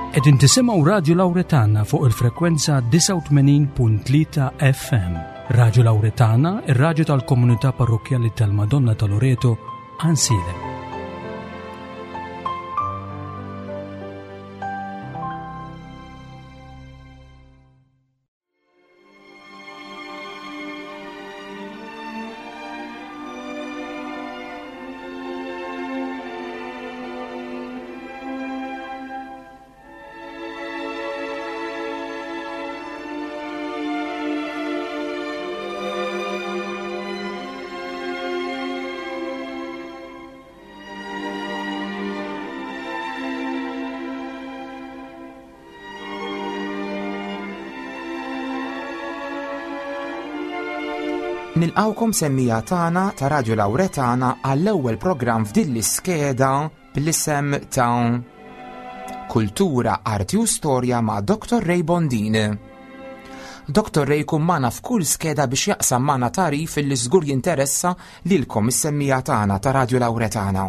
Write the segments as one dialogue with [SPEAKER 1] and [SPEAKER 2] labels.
[SPEAKER 1] Qegħdin tisimgħu Radju Lawretana fuq il-frekwenza 89.3 FM. Radju Lawretana, ir-radju tal-komunità parrokkjali tal-Madonna ta' Loreto, Ansilem.
[SPEAKER 2] Nilqawkom semmija tagħna ta' Radio Lawretana għall-ewwel programm f'din l-iskeda bl-isem ta' Kultura, Arti u Storja ma' Dr. Ray Bondin. Dr. Ray jkun magħna f'kull skeda biex jaqsam magħna tagħrif li żgur jinteressa lilkom is-semmija tagħna ta' Radio Lawretana.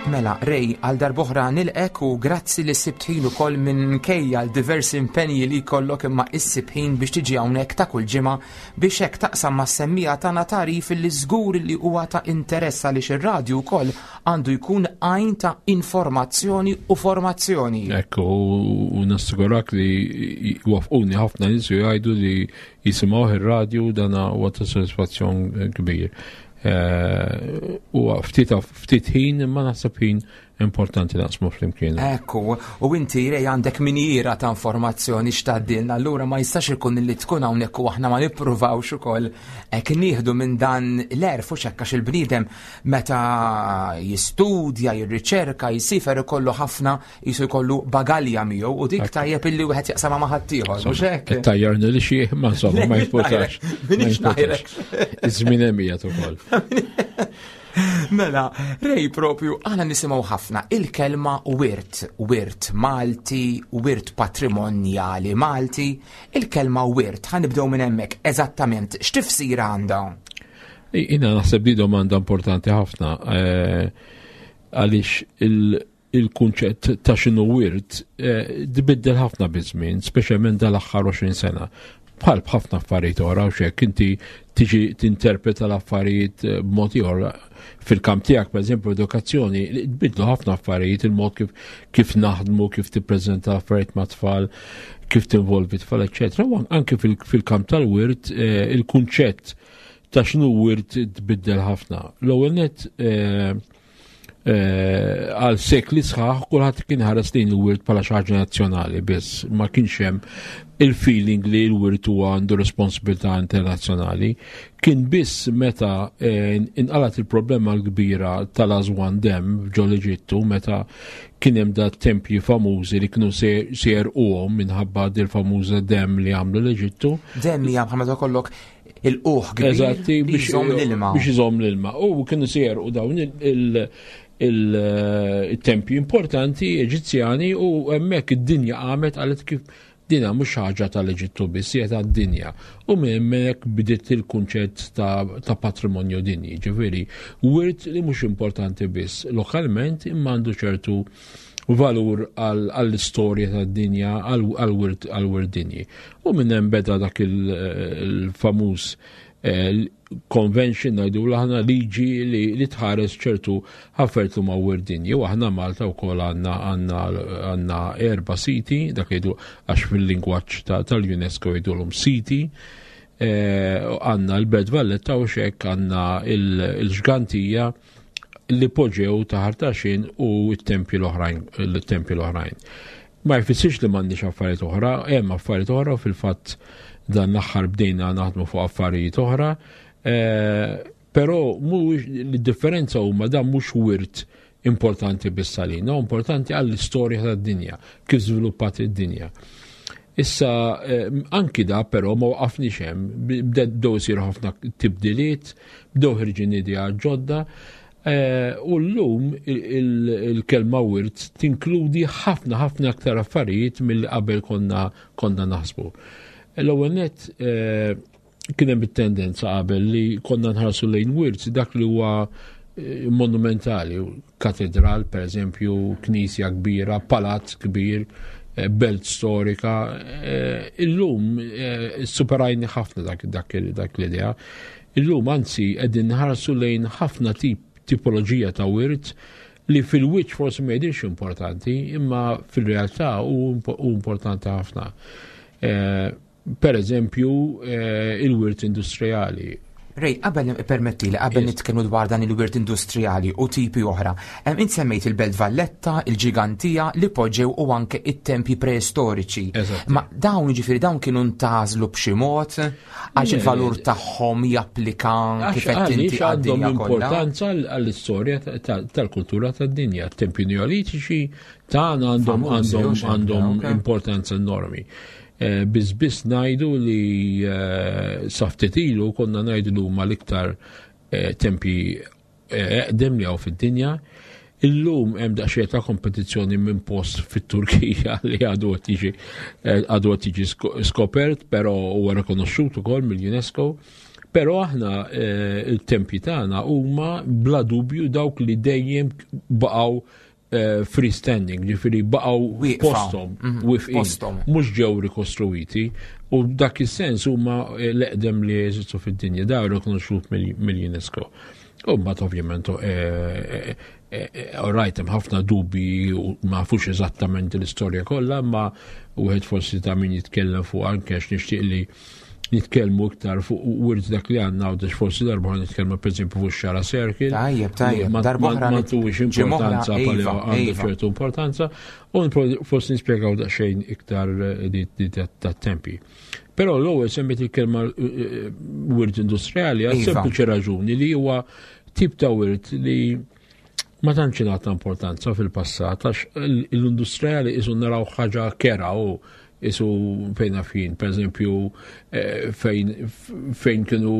[SPEAKER 2] Mela, Ray, għal darboħra nilqek u grazzi li sibt ħin ukoll minkejja l-diversi impenji li jkollok imma issib ħin biex tiġi hawnhekk ta' kull ġimgħa biex hekk taqsam mas-semmija tagħna tagħrif li żgur li huwa ta' interess għaliex ir-radju wkoll għandu jkun għajn ta' informazzjoni u formazzjoni.
[SPEAKER 3] Ekku, u nassigurak li wafquni ħafna nies u jgħidu li jisimgħuh ir-radju dan huwa ta' sodisfazzjon kbir. Eh, u ftit ftit ħin imma naħseb ħin importanti naqsmu flimkien.
[SPEAKER 2] Ekku, u inti rej għandek minjira ta' informazzjoni x'tgħaddilna, allura ma jistax ikun li tkun hawnhekk u aħna ma nippruvawx ukoll hekk nieħdu minn dan l-erf u xekk għax il-bniedem meta jistudja, jirriċerka, jisifer ikollu ħafna jisu jkollu bagalja miegħu u dik tajjeb illi wieħed jaqsama ma' ħaddieħor, mhux hekk?
[SPEAKER 3] Tajjarni li xi ma insomma ma jimpurtax.
[SPEAKER 2] Minix ngħidlek.
[SPEAKER 3] Iż-żmien hemm qiegħed ukoll.
[SPEAKER 2] Mela, rej propju, għana nisimaw ħafna il-kelma wirt, wirt Malti, wirt patrimonjali Malti, il-kelma wirt, ħanibdew minn hemmhekk eżattament x'tifsira għandha?
[SPEAKER 3] Jina naħseb di domanda importanti ħafna eh, għaliex il- il-kunċett ta' x'inhu wirt eh, tbiddel ħafna biż-żmien, speċjalment dal-aħħar 20 sena. Bħal b'ħafna affarijiet oħra u xek inti tiġi tinterpreta l-affarijiet eh, b'mod ieħor fil-kamp tiegħek, pereżempju, edukazzjoni, tbidlu ħafna affarijiet il-mod kif, kif naħdmu, kif tippreżenta affarijiet ma' tfal, kif tinvolvi tfal, eċċetera. U anke fil-kamp tal-wirt eh, il-kunċett ta' x'inhu wirt tbiddel ħafna. L-ewwel net Eh, għal sekli sħaħ kulħadd kien ħares lejn il-wirt bħala xi ħaġa nazzjonali biss, ma kienx hemm il-feeling li l-wirt huwa għandu responsabilità internazzjonali. Kien biss meta eh, inqalat il-problema l-kbira tal-Aswan Dam ġol Eġittu meta kien hemm da tempji famużi li kienu se jerquhom minħabba dil-famuża dem li għamlu l-Eġittu.
[SPEAKER 2] Dem hija bħal meta kollok il-quħ kbir
[SPEAKER 3] Eżatti,
[SPEAKER 2] biex iżomm l-ilma.
[SPEAKER 3] Biex iżomm l-ilma. U kienu se u dawn il-tempji importanti Eġizzjani u hemmhekk id-dinja qamet qalet kif dina mhux ħaġa tal-Eġittu biss, hija tad-dinja. U minn hemmhekk bdiet il-kunċett ta', ta patrimonju dinji, ġifieri wirt li mhux importanti biss lokalment imma għandu ċertu valur għall-istorja tad-dinja, għall-wirt dinji. U minn hemm beda dak il-famuż eh, convention ngħidu aħna liġi li tħares ċertu ħaffert ma' wirt dinji. U aħna Malta wkoll għandna għandna erba' siti, dak jgħidu għax fil-lingwaġġ tal-UNESCO jgħidulhom siti. Eh, għandna l-Belt Valletta u xek għandna il-ġgantija li poġew ta' ħartaxin u t-tempji l-oħrajn, l-tempji l-oħrajn. Ma jfissirx li m'għandniex affarijiet oħra, hemm affarijiet oħra u fil-fatt dan l-aħħar bdejna naħdmu fuq affarijiet oħra, eh, però mhuwiex differenza huma dan mhux wirt importanti biss għalina, importanti għall-istorja tad-dinja, kif żviluppat id-dinja. Issa, eh, anki da però ma waqafniex hemm, bdew isiru ħafna tibdiliet, bdew ħirġin idea ġodda, eh, u llum il-kelma wirt tinkludi ħafna ħafna aktar affarijiet mill qabel konna konna naħsbu. L-ewwel net eh, kien hemm it-tendenza qabel li konna nħarsu lejn wirt dak li huwa monumentali, katedral per eżempju, knisja kbira, palazz kbir, belt storika. Illum superajni ħafna dak l-idea. Illum anzi qegħdin nħarsu lejn ħafna tip tipoloġija ta' wirt li fil-wiċċ forsi ma jidhirx importanti, imma fil-realtà hu importanti ħafna. Per eżempju, il-wirt industrijali.
[SPEAKER 2] Ray, qabel permetti li qabel nitkellmu dwar dan il-wirt industrijali u tipi oħra, int semmejt il-Belt Valletta, il-Ġigantija, li poġġew u anke it-tempji preistoriċi. Ma dawn ġifieri dawn kienu ntażlu b'xi mod għax il-valur tagħhom japplika kif qed inti
[SPEAKER 3] għandhom importanza għall-istorja tal-kultura tad-dinja. Tempji neolitiċi tagħna għandhom għandhom għandhom importanza enormi. Eh, biss biss ngħidu li eh, sa ftit ilu konna ngħidu li huma l-iktar eh, tempi eqdem li hawn fid-dinja. Illum hemm daqsxejn ta' kompetizzjoni minn post fit-Turkija li għadu qed jiġi għadu qed jiġi skopert, però huwa rikonoxxut ukoll mill-UNESCO. Però aħna il-tempji tagħna huma bla dubju dawk li dejjem baqgħu freestanding, ġifiri baqgħu postom, mhm, mhux ġew rikostruiti, u dak is-sens huma eh, l-eqdem li jeżistu fid-dinja, da rikonoxxut mill-UNESCO. U mbagħad ovvjament eh, rajt hemm ħafna dubi u ma nafux eżattament l-istorja kollha, ma wieħed forsi ta' min jitkellem fuq anke għax nixtieq li nitkellmu iktar fuq wirt dak li għandna u forsi darba nitkellmu pereżempju fuq xara circle.
[SPEAKER 2] Tajjeb, tajjeb,
[SPEAKER 3] darba ma tuwix importanza pali iva, għandu iva. ċertu importanza u forsi nispjegaw daqsxejn iktar eh, ta' tempi. Però l-ewwel semmit il-kelma eh, eh, wirt industrijali għal iva. sempliċi raġuni li huwa tip ta' wirt li ma tantx ingħata importanza fil-passat għax l-industrijali isu naraw ħaġa kera u isu fejn afin, per eżempju, eh, fejn kienu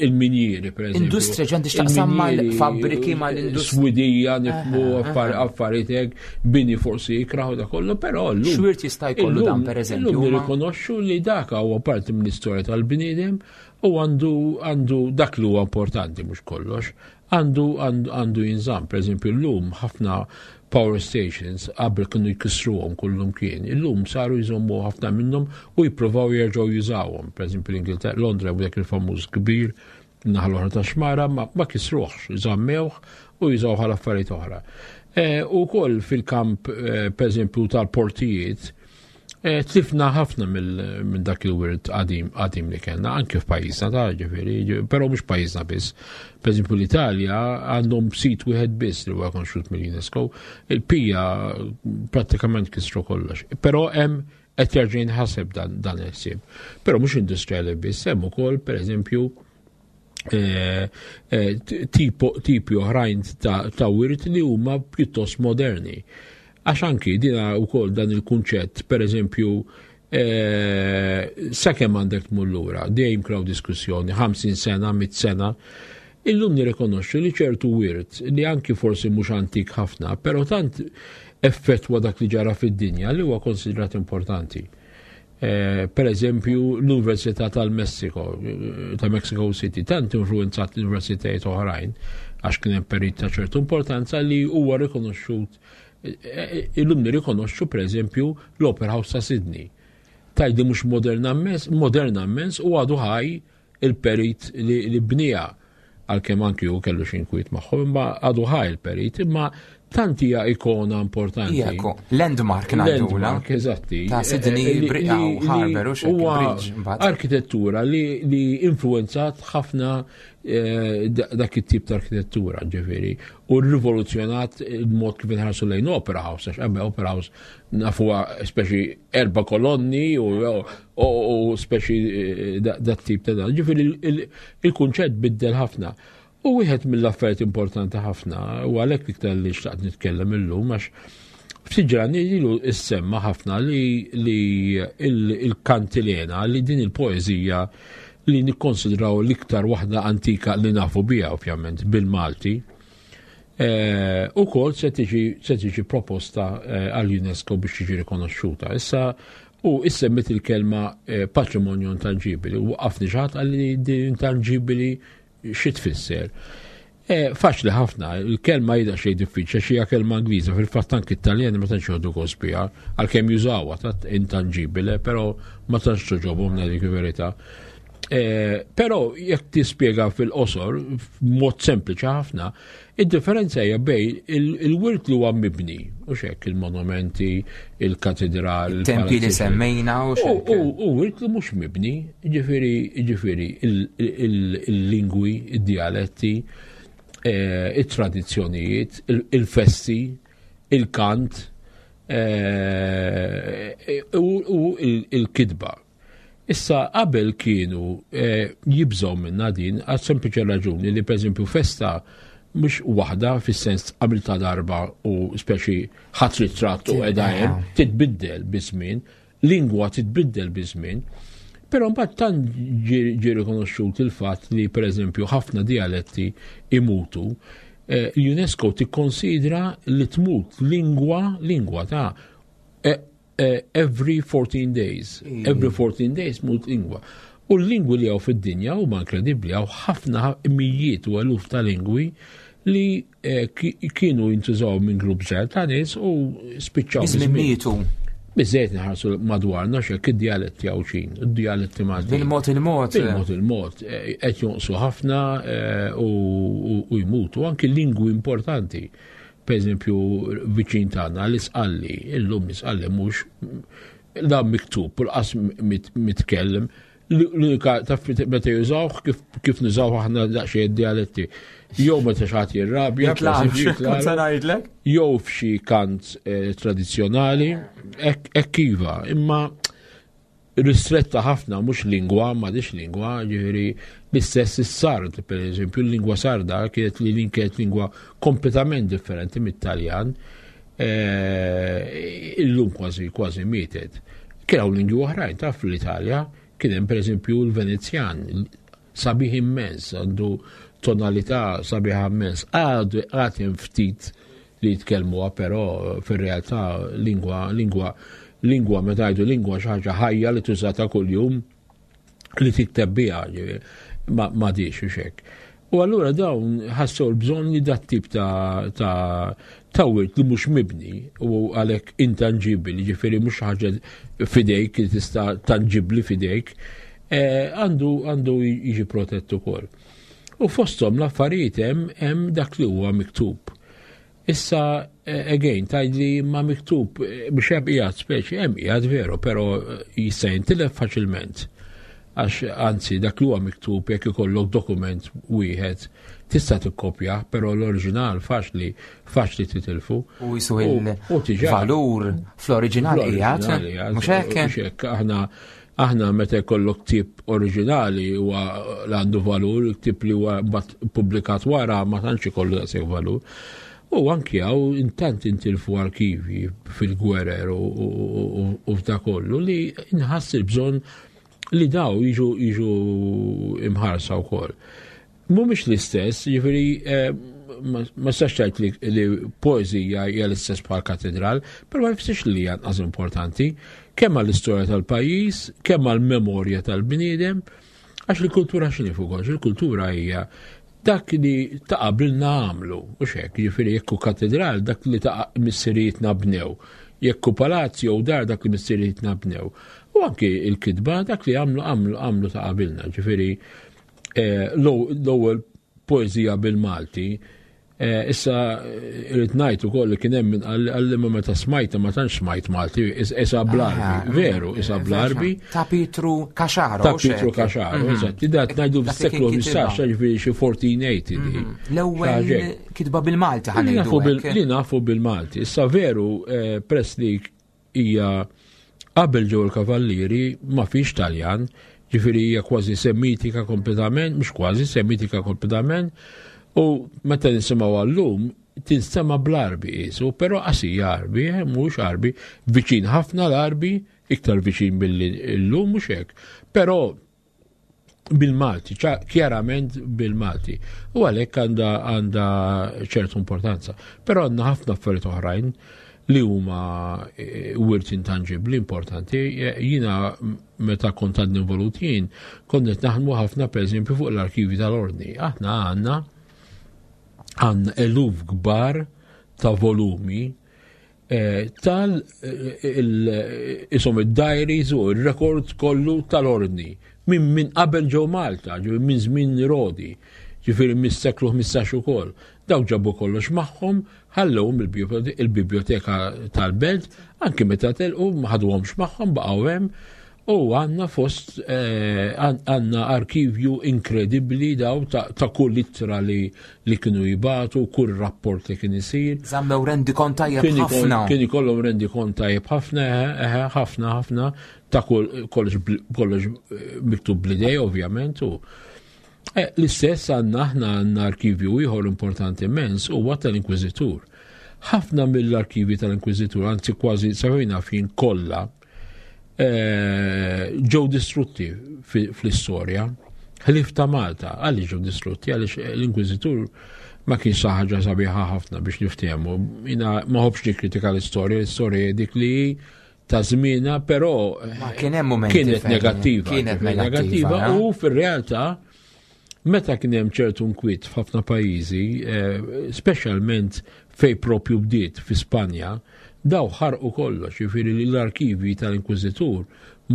[SPEAKER 3] il-minjieri, per eżempju.
[SPEAKER 2] Industrija ġandi xtaqsam mal-fabriki, mal-industrija.
[SPEAKER 3] Swidija, nifmu affarijiet hekk, bini forsi jikraħu da kollu, però
[SPEAKER 2] l Xwirt jista' jkollu dan, per eżempju.
[SPEAKER 3] Illum nirrikonoxxu li dak huwa parti mill-istorja tal-bniedem u għandu dak li huwa importanti mhux kollox, Għandu għandu jinżamm, pereżempju llum ħafna power stations qabel kienu jkissruhom kullum kien, illum saru jżommu ħafna minnhom u jippruvaw jerġgħu jużawhom. Pereżempju l-Ingilterra, Londra u dak il-famuż kbir naħa l-oħra ta' xmara ma, ma kisruhx, żammewh u jużaw għal affarijiet oħra. E, u koll fil-kamp, e, pereżempju, tal-portijiet, Eh, tlifna ħafna minn dak il-wirt qadim qadim li kellna, anke f'pajjiżna ta' ġifieri, però mhux pajjiżna biss. Pereżempju l-Italja għandhom sit wieħed biss li huwa konxut mill-UNESCO, il-pija prattikament kisru kollox. Però hemm qed jerġa' jinħaseb dan, dan il-ħsieb. Però mhux industrijali biss, hemm ukoll pereżempju eh, eh, tipi oħrajn ta' wirt li huma pjuttost moderni. Għax anki dina wkoll dan il-kunċett, per eżempju, eh, sakemm għandek tmur lura, dejjem kraw diskussjoni, 50 sena, 100 sena, illum nirrikonoxxu li ċertu wirt li anki forsi mhux antik ħafna, però tant effettwa dak li ġara fid-dinja li huwa konsidrat importanti. Eh, per eżempju, l-Università tal-Messiko, eh, ta' Mexico City, tant influenzat l-universitajiet oħrajn, għax kien hemm perit ta' ċertu importanza li huwa rikonoxxut eh, illum nirrikonoxxu per eżempju l-Opera House ta' Sydney. Tajdi mhux moderna immens, moderna immens u għadu ħaj il-perit li bnija għalkemm anki hu kellu xi inkwiet magħhom, imma għadu ħaj il-perit, imma tant hija ikona importanti.
[SPEAKER 2] Eko, landmark ngħidula.
[SPEAKER 3] Landmark, eżatti.
[SPEAKER 2] Ta' Sydney eh, eh, Harbour u xi bridge
[SPEAKER 3] Arkitettura li, li influenzat ħafna eh, dak it-tip ta' arkitettura, ġifieri, u rivoluzzjonat il-mod kif inħarsu lejn Opera House, għax qabel Opera House nafuha speċi erba' kolonni u u speċi eh, dat tip ta' dan. Ġifieri il-kunċett biddel ħafna. U wieħed mill-affarijiet importanti ħafna, u għalhekk iktar li xtaqt nitkellem illum għax ftit ġrani ilu issemma ħafna li il-kantilena li din il-poeżija li nikkonsidraw l-iktar waħda antika li nafu biha ovvjament bil-Malti. Eh, u kol se tiġi proposta eh, għall-UNESCO biex tiġi rikonoxxuta. Issa U issemmit il-kelma eh, patrimonju intangibili u waqafni xi ħadd qalli din intangibili xi tfisser. Eh, faċli ħafna, il-kelma jida xej diffiċli, xi hija kelma Ingliża, fil-fatt anki Italjani ma tantx joħdu gost biha, għalkemm jużawha ta' intanġibile, però ma tantx toġobhom dik il-verità. Eh, però jekk tispjega fil-qosor, mod sempliċi ħafna, id-differenza hija bej il-wirt li huwa mibni, u xek il-monumenti, il-katedral,
[SPEAKER 2] il-tempi li semmejna u
[SPEAKER 3] xek. U wirt li mhux mibni, ġifieri ġifieri il-lingwi, id-dialetti, eh, it-tradizzjonijiet, il-festi, il-kant, eh, u il-kidba. Issa qabel kienu eh, jibżgħu minna din għal sempliċi raġuni li pereżempju festa mhux waħda fis-sens għamilta darba u speċi ħadd ritratt u qiegħda hemm titbiddel biż-żmien, lingwa titbiddel biż-żmien. Però mbagħad tant ġie rikonoxxut il-fatt li pereżempju ħafna dialetti imutu, eh, l-UNESCO tikkonsidra li tmut lingwa lingwa ta' eh, Eh, every 14 days. Every 14 days mut lingwa. U l-lingwi li għaw fid-dinja huma inkredibbli għaw ħafna mijiet u eluf ta' lingwi li eh, kienu jintużaw minn grupp żgħar ta' nies u spiċċaw.
[SPEAKER 2] Biżmien mietu.
[SPEAKER 3] Biżejt nħarsu madwarna xek id-dialetti għawxin, id-dialetti Malti.
[SPEAKER 2] Bil-mod il-mod.
[SPEAKER 3] Bil-mod il-mod, eh, qed jonqsu ħafna u jmutu anki lingwi importanti. Per eżempju, viċin tagħna l-isqalli, illum l-isqalli mhux la miktub u l-qas mitkellem, l-unika taf meta jużawh kif nużawh aħna daqsxejn dialetti. Jew meta xi ħadd jirrabja, jew f'xi kant eh, tradizzjonali, hekk iva, imma ristretta ħafna mhux lingwa, m'għadix lingwa, ġifieri l-istess is-sard, per eżempju, l-lingwa sarda kienet li lin kienet lingwa kompletament differenti mit-Taljan, eh, illum kważi kważi mietet. Kien hawn lingwi oħrajn taf fl-Italja, kien hemm pereżempju l-Venezjan, sabiħ immens, għandu tonalità sabiħa immens, għadu għad hemm ftit li jitkellmuha però fir-realtà lingwa lingwa lingwa meta jgħidu lingwa xi ħaġa ħajja li tuża ta' kuljum li tikteb biha ma m'għadix u xek. U allura dawn ħassew l-bżonn li dat tip ta' ta' ta' wirt li mhux mibni u għalhekk intanġibbli, ġifieri mhux ħaġa fidejk li tista' tanġibbli fidejk, eh, għandu għandu jiġi protett ukoll. U fosthom l-affarijiet hemm hemm dak li huwa miktub. Issa, eh, again, tgħidli ma miktub eh, biex hemm qiegħed speċi, hemm qiegħed veru, però eh, jista' jintilef faċilment. Għax anzi dak li huwa miktub jekk ikollok dokument wieħed tista' tikkopja, però l-oriġinal faċli faċli titilfu.
[SPEAKER 2] U jisu il-valur fl-oriġinal qiegħed, mhux hekk?
[SPEAKER 3] Mhux hekk, aħna Aħna meta jkollok ktieb oriġinali huwa għandu valur, ktieb li huwa pubblikat wara ma tantx ikollu daqshekk valur. U anki hawn intant intilfu arkivi fil-gwerer u f'da kollu li nħass il-bżonn li daw jiġu jiġu imħarsa wkoll. Mhumiex l-istess, jiġifieri eh, ma sax tgħid li poeżija hija l-istess bħal katedral, però ma jfissirx li hija anqas importanti, kemm għall-istorja tal-pajjiż, kemm għall-memorja tal-bniedem, għax il-kultura x'inhi fuq kollox, il-kultura hija dak li ta' qabilna għamlu, u xek, jiġifieri jekk hu katedral dak li ta' missirijietna bnew, jekk hu palazz jew dar dak li missirijietna bnew. U anki il-kitba dak li għamlu għamlu għamlu ta' qabilna, ġifieri eh, l-ewwel poeżija bil-Malti. Eh, issa eh, irrid ngħid ukoll li kien hemm min qalli ma meta smajta ma tantx smajt Malti, isa bl-Arbi, ah, veru, isa bl-Arbi.
[SPEAKER 2] Ta' Pietru Caxaro.
[SPEAKER 3] Ta' Pietru Caxaro, mhm. eżatt. Dat ngħidu fis-seklu 15, ġifieri xi 1480.
[SPEAKER 2] Mhm. L-ewwel kitba bil-Malti ħanejdu.
[SPEAKER 3] Li nafu bil-Malti. Issa veru press li hija qabel ġew il-kavallieri ma fix Taljan, ġifieri hija kważi semitika kompletament, mhux kważi semitika kompletament, u meta nisimgħu għallum tinstema bl-Arbi qisu, però qasija Arbi, eh, mhux Arbi, viċin ħafna l-Arbi, iktar viċin billi llum mhux hekk. Però bil-Malti, kjarament bil-Malti. U għalhekk għandha għandha ċertu importanza. Però għandna ħafna affarijiet oħrajn li huma e, wirt intangibbli importanti. E, jiena meta kont għadni involut jien, kont qed naħdmu ħafna pereżempju fuq l-arkivi tal-ordni. Aħna għandna Għandna eluf kbar ta' volumi eh, tal eh, isom id-diaries u il-rekord kollu tal-ordni minn min qabel ġew Malta, ġew minn żmien Rodi, ġifieri mis-seklu 15 ukoll. Dawk ġabu kollox magħhom, ħallewhom il-biblioteka tal-belt, anki meta telqu ma ħaduhomx magħhom baqgħu hemm U għanna fost, eh, għanna arkivju inkredibbli daw ta' kull ittra li, li kienu jibatu, kull rapport li kien isir.
[SPEAKER 2] Zammew rendi kont tajjeb ħafna.
[SPEAKER 3] Kien ikollhom rendi kont tajjeb ħafna, eh, ħafna, ħafna, ta' kull kollox kollox eh, miktub bl-idej, ovvjament. U l-istess għanna aħna għanna arkivju ieħor importanti immens huwa tal-Inkwiżitur. Ħafna mill-arkivi tal-Inkwiżitur, anzi kważi safina fin kollha, Eh, ġew distrutti fl-istorja. Ħlif ta' Malta, għaliex ġew distrutti, għaliex l-Inkwiżitur ma kienx ħaġa sabiħa ħafna biex niftehmu. Jina ma ħobx nikkritika l-istorja, l-istorja dik li ta' żmienha, però
[SPEAKER 2] kien hemm mumenti
[SPEAKER 3] kienet negattiva.
[SPEAKER 2] Kienet negattiva
[SPEAKER 3] eh? u fir-realtà meta kien hemm ċertu nkwiet f'ħafna pajjiżi, eh, speċjalment fej propju bdiet fi Spanja, Daw ħarqu kollox, jiġifieri li l-arkivji tal-Inkwiżitur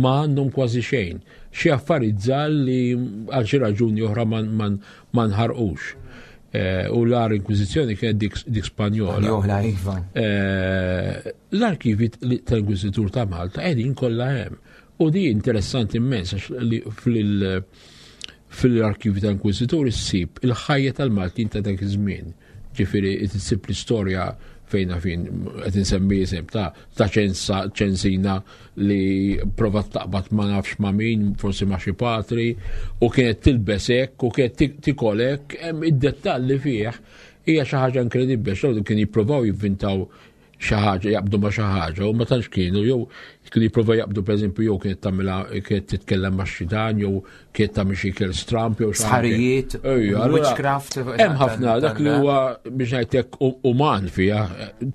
[SPEAKER 3] ma għandhom kważi xejn. Xi affarijiet żgħar li għal xi raġuni oħra ma nħarqux. Eh, u l-ar inkwiżizzjoni kienet dik Spanjola.
[SPEAKER 2] Spanjola, iva.
[SPEAKER 3] Eh, l-arkivi tal-Inkwiżitur ta' Malta qegħdin kollha hemm. U di interessanti immens għax li fil-arkivi tal-Inkwiżitur issib il-ħajja tal-Maltin ta' dak iż-żmien. Ġifieri issib l-istorja fejn fin qed insemmi isem ta' ta' ċensa ċensina li provat taqbad ma nafx ma' min, forsi ma' xi patri, u kienet tilbes hekk u kienet tikol hekk, hemm id-dettalli fih hija xi ħaġa inkredibbli għax kien jippruvaw jivvintaw xi ħaġa, jaqbdu ma' xi ħaġa u ma tantx kienu jew kienu jipprova jaqbdu pereżempju jew kienet tagħmilha kienet titkellem ma' xitan jew kienet tagħmel xi kiel stramp jew
[SPEAKER 2] sħarijiet, witchcraft.
[SPEAKER 3] Hemm ħafna dak li huwa biex ngħidlek uman fiha,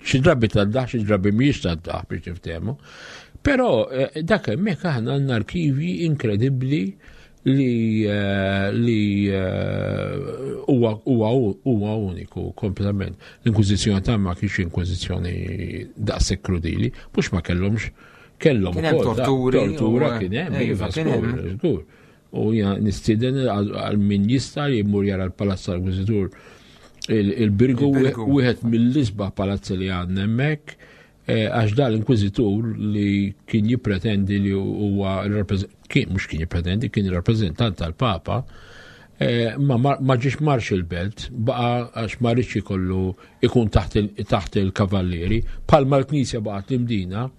[SPEAKER 3] xi drabi tad-daħ, xi drabi mhijiex tad-daħ biex niftehmu. Però eh, dak hemmhekk aħna għandna arkivji inkredibbli li eh, li eh, huwa huwa uniku kompletament. L-Inkwiżizzjoni ta' ma kienx inkwiżizzjoni daqshekk krudili, mhux ma kellhomx kellhom
[SPEAKER 2] Kien hemm torturi.
[SPEAKER 3] Tortura kien hemm, iva, żgur. U jien nistieden għal min jista' li jmur jara l-Palazz tal-Inkwiżitur il-Birgu wieħed mill-isbaħ palazzi li għandna hemmhekk Eh, għax dan l-inkwiżitur li kien jippretendi li huwa kien mhux kien jippretendi, kien rappreżentant tal-Papa, eh, ma ma ġiex marx il-belt, baqa għax ma rridx ikollu ikun taħt il-kavallieri, palma l-Knisja baqgħet l-Imdina,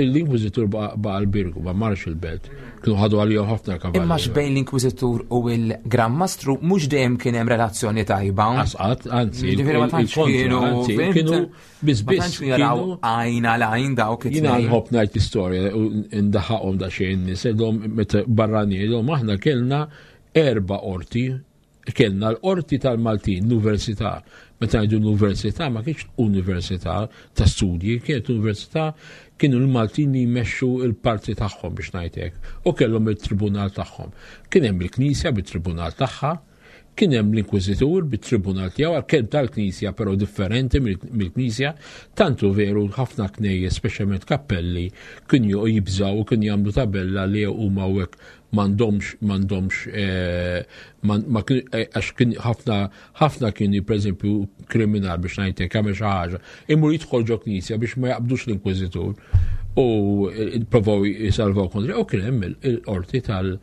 [SPEAKER 3] l-Inkwiżitur baqa l-Birgu, ma marx il-belt. Kienu ħadu għalihom ħafna kavallieri.
[SPEAKER 2] Imma xbejn l-Inkwiżitur u l-Gran Mastru mhux dejjem kien hemm relazzjoni tajba.
[SPEAKER 3] Asqat, anzi, ġifieri ma tantx kienu kienu Biss biss.
[SPEAKER 2] Jaraw għajn għal għajn dawk
[SPEAKER 3] it Jina nħobb ngħid istorja u ndaħaqhom da xejn nies, meta barrani jgħidhom aħna kellna erba' qorti, kellna l-qorti tal-Maltin, l-Università. Meta ngħidu l-Università ma kienx università ta' studji, kienet università kienu l-Maltin li jmexxu l-parti tagħhom biex ngħidlek u kellhom il-tribunal tagħhom. Kien hemm il-Knisja bit-tribunal tagħha, Kien hemm l-Inkwiżitur bit-tribunal tiegħu għalkemm tal-Knisja però differenti mill-Knisja, tant hu veru ħafna knejjes, speċjalment kappelli, kienu jibżgħu u kienu jagħmlu tabella li huma hawnhekk m'għandhomx m'għandhomx eh, eh, għax kien ħafna ħafna kienu pereżempju kriminal biex ngħidlek jagħmel xi ħaġa, imur jidħol ġo knisja biex ma jaqbdux l-Inkwiżitur u eh, provaw jisalvaw kontra u kien hemm il-qorti tal-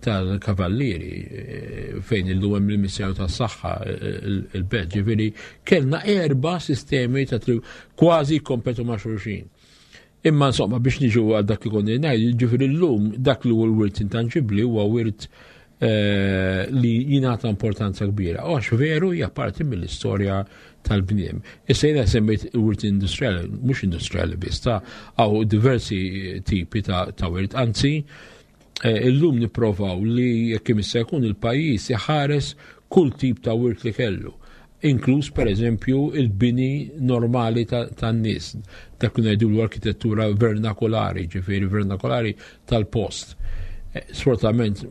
[SPEAKER 3] tal-kavallieri eh, fejn illum hemm il-Ministeru tas-Saħħa eh, il-belt, ġifieri kellna erba' sistemi ta' kważi kompetu ma' xulxin. Imma insomma biex niġu għal dak li konni ngħid, ġifieri llum dak li huwa l-wirt intanġibbli huwa wirt eh, li jingħata importanza kbira. Għax veru hija parti mill-istorja tal-bniem. Issa jiena semmejt wirt industrijali, mhux industrijali biss, ta' għaw diversi tipi ta' wirt, anzi Eh, illum nipprovaw li jekk jista' jkun il-pajjiż iħares kull tip ta' wirt li kellu inkluż per eżempju il-bini normali tan-nies. Dak li ngħidu l-arkitettura vernakolari, ġifieri vernakolari tal-post. Eh, sfortunatament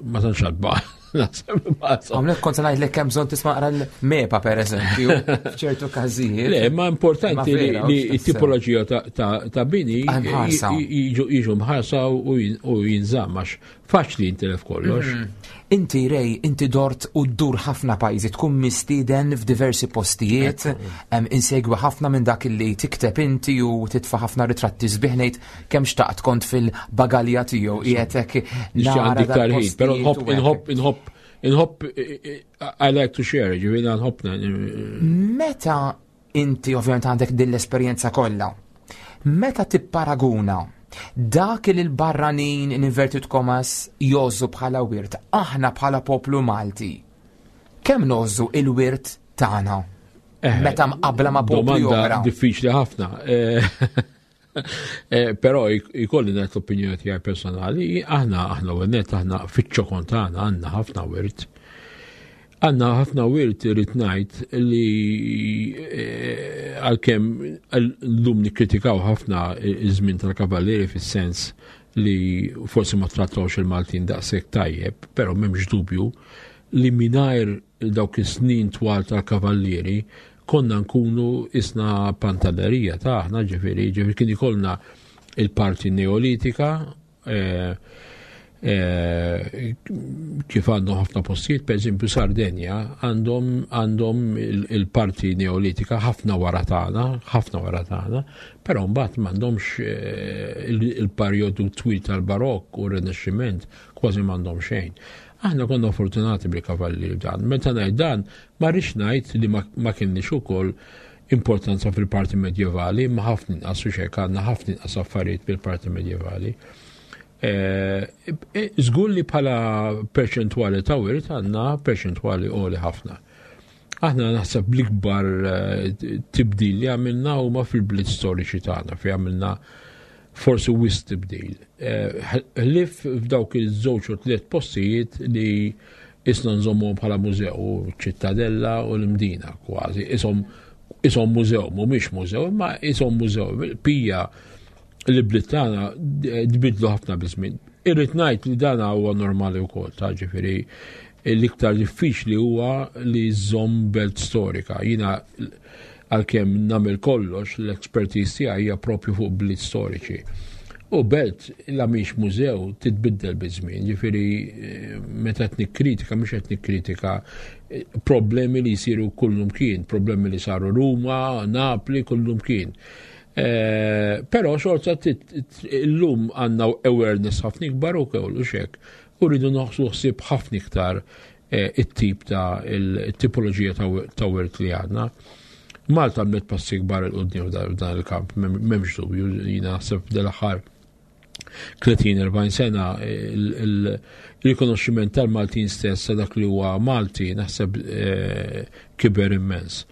[SPEAKER 3] ma tantx għadba.
[SPEAKER 2] Għamlek kont ngħidlek kemm bżonn tisma' qra l-MEPA pereżempju, f'ċertu każijiet.
[SPEAKER 3] Le, ma importanti li t-tipoloġija ta' bini jiġu mħarsa u jinżamm għax faċli jintilef kollox.
[SPEAKER 2] Inti Ray, inti dort u ddur ħafna pajjiżi, tkun mistieden f'diversi postijiet, insegwi ħafna minn dak li tikteb inti u titfa' ħafna ritratti sbieħ ngħid kemm xtaqt kont fil-bagalja tiegħu qiegħed hekk
[SPEAKER 3] nara iktar ħin, però nħobb inħobb inħobb inħobb I like to share, ġifieri nħobb.
[SPEAKER 2] Meta inti ovvjament għandek din l-esperjenza kollha, meta tipparaguna dak li l-barranin in inverted commas jgħożżu bħala wirt, aħna bħala poplu Malti, kemm ngħożżu il-wirt tagħna? Eh, meta mqabbla ma' popli oħra.
[SPEAKER 3] Diffiċli ħafna. Eh, eh, però jkolli ngħid l-opinjoni tiegħi personali, aħna aħna u net aħna fiċ-ċokon tagħna għandna ħafna wirt. Għandna ħafna wirt irrid ngħid li eh, għalkemm llum nikkritikaw ħafna iż-żmien tal-kavallieri fis-sens li forsi ma trattawx il-Maltin daqshekk tajjeb, però m'hemmx dubju li mingħajr dawk is-snin twal tal-kavallieri konna nkunu isna pantanerija ta' aħna ġifieri, ġifieri kien ikollna il-parti neolitika, eh, eh, kif għandhom ħafna postijiet, per eżempju Sardenja, għandhom għandhom il-parti neolitika ħafna wara tagħna, ħafna wara tagħna, però mbagħad m'għandhomx eh, il-perjodu twil tal-Barokk u r-Rinaxximent kważi m'għandhom xejn. Aħna konna fortunati bil-kavalli dan. Meta ngħid dan, ma rridx ngħid li ma kienniex ukoll importanza fil-parti medjevali, ma ħafna inqas u xek għandna ħafna inqas affarijiet bil-parti medjevali. Eh, eh, żgur li bħala perċentwali ta' wirt għandna perċentwali għoli ħafna. Aħna naħseb l-ikbar eh, tibdil li għamilna huma fil-bliet storiċi tagħna fi għamilna forsi wis tibdil. Ħlif f'dawk iż-żewġ u tliet postijiet li isna nżommuhom bħala mużew, ċittadella u l-Imdina kważi. Isom isom mużew, mhumiex mużew, imma isom mużew. Pija li bliet tagħna tbidlu ħafna biż-żmien. Irrid ngħid li dan huwa normali wkoll, ta' ġifieri l-iktar diffiċli huwa li żomm belt storika. Jiena Għalkemm nagħmel kollox, l-expertise tiegħi hija propju fuq bliet storiċi. U belt la mhix mużew titbiddel biż-żmien, ġifieri eh, meta qed nikkritika mhux qed nikkritika eh, problemi li jsiru kullum kien, problemi li saru Ruma, Napli, kullum kien. Eh, però xorta illum għandna awareness ħafna ikbar u kollu xek u rridu noħsu ħsieb ħafna iktar Eh, it-tip ta' il-tipoloġija ta' wirt li għandna. Malta għamlet passi kbar il-qoddim f'dan il-kamp, m'hemmx dubju, jina naħseb dal-aħħar 30-40 sena il-rikonoxximent tal-Maltin stess dak li huwa Malti naħseb eh, kiber immens.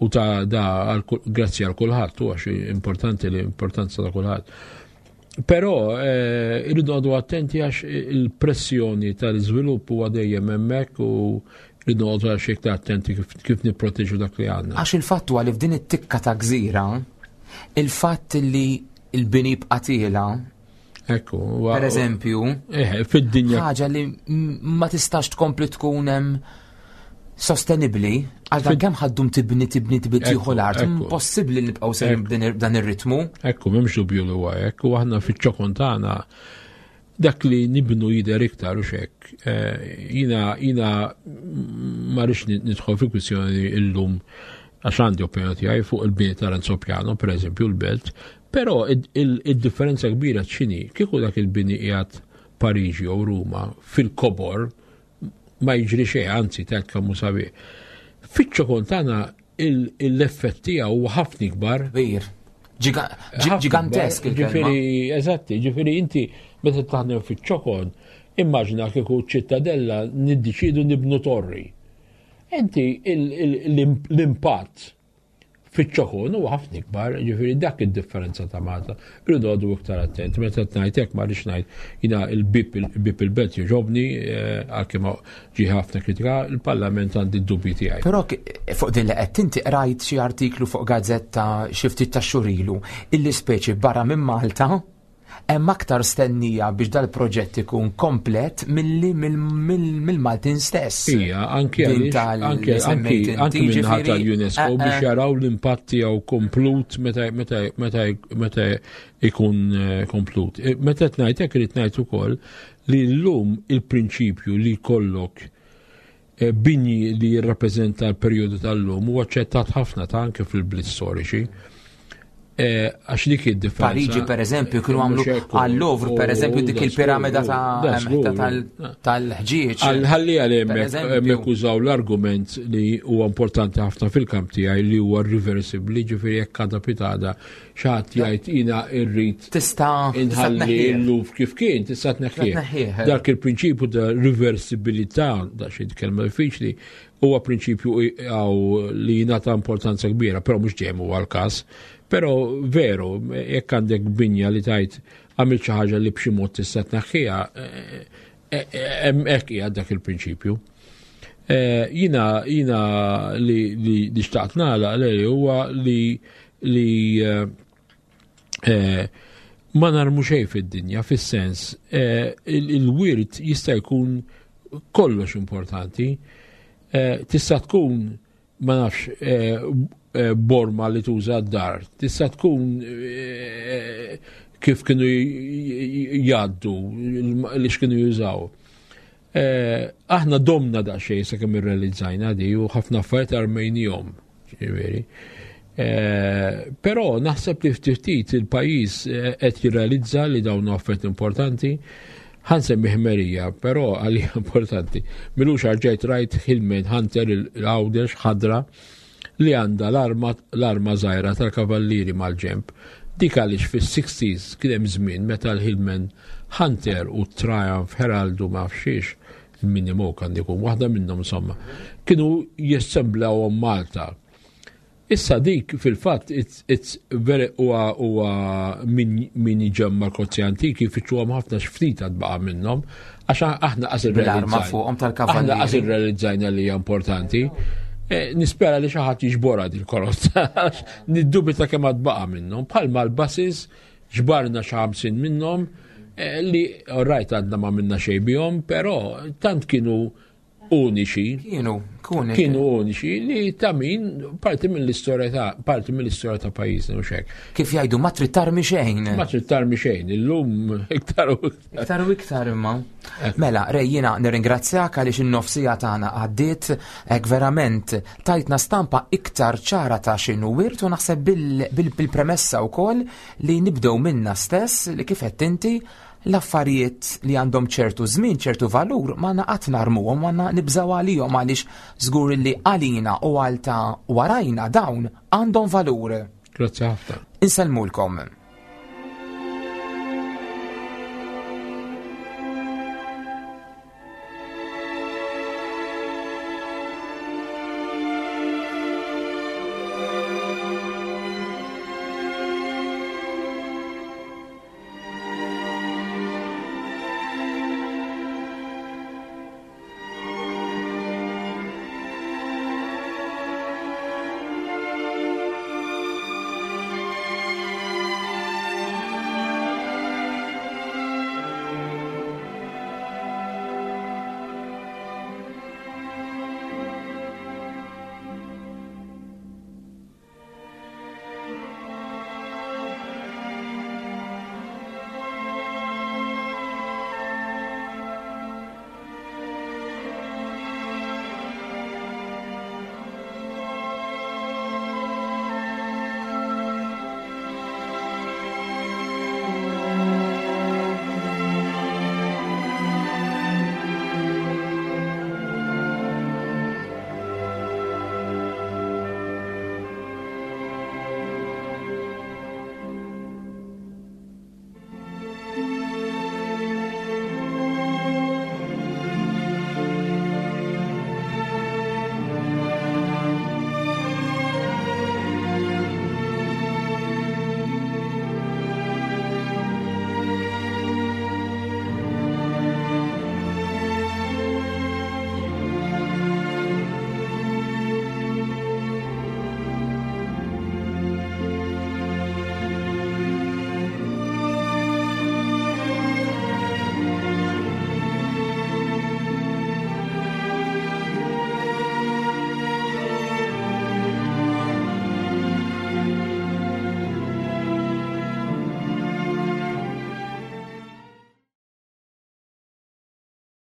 [SPEAKER 3] U ta' da grazzi għal kulħadd, u għax importanti li importanza ta' kulħadd. Però eh, irridu għadu attenti għax il-pressjoni tal-iżvilupp huwa dejjem hemmhekk u rridu għadu għax iktar attenti kif nipproteġu dak li għandna.
[SPEAKER 2] Għax il-fatt huwa li f'din it-tikka ta' gżira, il-fatt li l-bini bqatila
[SPEAKER 3] Ekku.
[SPEAKER 2] Per eżempju,
[SPEAKER 3] eh, fid-dinja.
[SPEAKER 2] Ħaġa li ma tistax tkompli tkun hemm sostenibli, għal dan kemm ħaddum tibni tibni tibni tieħu l-art, impossibbli nibqgħu sejrin b'dan ir-ritmu.
[SPEAKER 3] Ekku, m'hemmx dubju li huwa hekk, u aħna fiċ-ċokon tagħna dak li nibnu jidher iktar u xek. Eh, jina jina ma rridx nidħol fi kwistjoni illum għax għandi opinjoni tiegħi fuq il-bini ta' Renzo Piano, per eżempju l-belt, però id-differenza kbira x'inhi kieku dak il-bini qiegħed Pariġi jew Ruma fil-kobor ma jiġri xejn, anzi tajt kemm hu sabiħ. Fiċ-ċokon tagħna l-effett tiegħu huwa ħafna ikbar.
[SPEAKER 2] Kbir. Ġigantesk
[SPEAKER 3] Ġifieri, eżatti, ġifieri inti meta taħdem fiċ-ċokon, immaġina kieku ċittadella niddeċidu nibnu torri. Inti l-impatt Fiċ-ċokon huwa ħafna ikbar, ġifieri dak id-differenza ta' Malta. Irridu għadu iktar attent. Meta qed ngħid hekk ma rridx ngħid jiena il-bib il-bib il-belt jogħġobni eh, għalkemm ġie ħafna kritika, il-Parlament għandi d-dubji tiegħi.
[SPEAKER 2] Però fuq din li qed inti qrajt xi artiklu fuq gazzetta xi ftit ta' xhur ilu illi speċi barra minn Malta. Hemm aktar stennija biex dal-proġett ikun komplet milli mill-Maltin stess.
[SPEAKER 3] Ija, anki anki anki minnaħa tal-UNESCO eh, biex eh. jaraw l-impatt tiegħu komplut meta ikun eh, komplut. Meta qed ngħid hekk irid ngħid ukoll li llum il-prinċipju li jkollok bini li jirrappreżenta l-perjodu tal-lum huwa aċċettat ħafna ta' anke fil-bliet storiċi. Eh, għax dik id-differenza.
[SPEAKER 2] Pariġi per eżempju kienu għamlu għall-Louvre per eżempju dik il-piramida tal-ħġieġ.
[SPEAKER 3] Ħalli għal hemmhekk użaw l-argument li huwa importanti ħafna fil-kamp tiegħi li huwa reversibbli, ġifieri jekk għada pitada xaħat jgħid jina irrid
[SPEAKER 2] tista'
[SPEAKER 3] inħalli l-luf kif kien, tista' tneħħih. Dak il-prinċipju ta' reversibilità, da xi kelma diffiċli, huwa prinċipju għaw li jingħata importanza kbira, però mhux dejjem huwa l-każ. Però veru, jekk għandek binja li tajt għamil xi ħaġa li b'xi mod tista' tneħħiha, eh, eh, eh, hemm hekk qiegħed dak il-prinċipju. Jina jina li li xtaqt nagħlaq li huwa li li eh, eh, ma narmu xejn fid-dinja, fis-sens eh, il-wirt jista' jkun kollox importanti. Tista' tkun ma nafx borma li tuża d-dar, tista' tkun kif kienu jgħaddu li x'kienu jużaw. Aħna domna daqsxejn sakemm irrealizzajna di u ħafna affarijiet armejnihom, ġifieri. Eh, però naħseb li ftit ftit il-pajjiż eh, qed jirrealizza li dawn affarijiet importanti. Ħansemmi ħmerija, però għalija importanti. Milux ġejt rajt Hillman Hunter il-Għawdex ħadra li għandha l-arma żgħira tal-kavallieri mal-ġenb. Dik għaliex fis-60s kien hemm żmien meta l-Hillman Hunter u Triumph Herald u ma nafx il-Mini Moke għandi jkun waħda minnhom insomma, kienu jassemblawhom Malta. Issa dik fil-fatt it's, it's very huwa huwa min min iġemma l-kozzi antiki jfittxuhom ħafna x'ftit għad baqa' minnhom għax aħna qas
[SPEAKER 2] Bil-arma fuqhom tal-kavallieri.
[SPEAKER 3] Aħna qas irrealizzajna li hija importanti. Eh, nispera li xi ħadd jiġborha din il-karozza għax niddubita kemm għad baqa' minnhom. Bħalma l-buses ġbarna xi 50 minnhom eh, li rajt għadna ma minna xejn bihom, però tant kienu uniċi.
[SPEAKER 2] Kienu,
[SPEAKER 3] uniċi. Kienu uniċi li ta' min parti mill-istorja ta' parti mill-istorja ta' pajjiżna u xek.
[SPEAKER 2] Kif jgħidu ma trid tarmi xejn.
[SPEAKER 3] Ma trid tarmi xejn, illum iktar u
[SPEAKER 2] iktar. Iktar u iktar imma. Eh. Mela, Rej, jiena nirringrazzjak għaliex in-nofsija tagħna għaddiet hekk verament tajtna stampa iktar ċara ta' x'inhu wirt u naħseb bil-premessa wkoll li nibdew minna stess li kif qed inti l-affarijiet li għandhom ċertu żmien, ċertu valur, ma qatt narmuhom, ma nibżaw għalihom għaliex żgur li għalina u għal ta' warajna dawn għandhom valur.
[SPEAKER 3] Grazzi ħafna.
[SPEAKER 2] Insellmulkom.